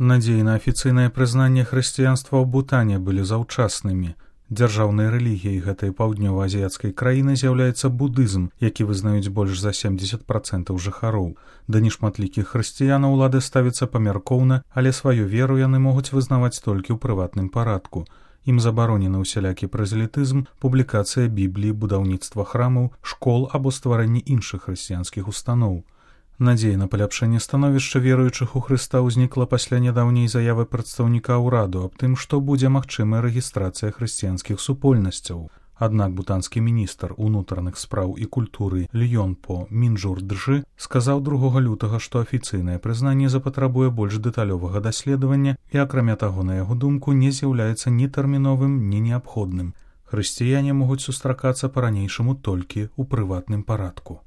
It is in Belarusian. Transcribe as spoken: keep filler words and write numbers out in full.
Надзеі на афіцыйнае прызнанне хрысціянства ў Бутане былі заўчаснымі. Дзяржаўнай рэлігіяй гэтай паўднёва-азіяцкай краіны з'яўляецца будызм, які вызнаюць больш за семдзесят працэнтаў жыхароў. Да нешматлікіх хрысціянаў улады ставяцца памяркоўна, але сваю веру яны могуць вызнаваць толькі ў прыватным парадку. Ім забаронены ўсялякі празелітызм, публікацыя Бібліі, будаўніцтва храмаў, школ або стварэнне іншых хрысціянскіх устаноў. Надзея на паляпшэнне становішча веруючых у Хрыста ўзнікла пасля нядаўняй заявы прадстаўніка ўраду аб тым, што будзе магчымая рэгістрацыя хрысціянскіх супольнасцяў. Аднак бутанскі міністр унутраных спраў і культуры Льёнпо Мінджур-Джы сказаў другога лютага, што афіцыйнае прызнанне запатрабуе больш дэталёвага даследавання і, акрамя таго, на яго думку, не з'яўляецца ні тэрміновым, ні неабходным. Хрысціяне могуць сустракацца па-ранейшаму толькі ў прыватным парадку.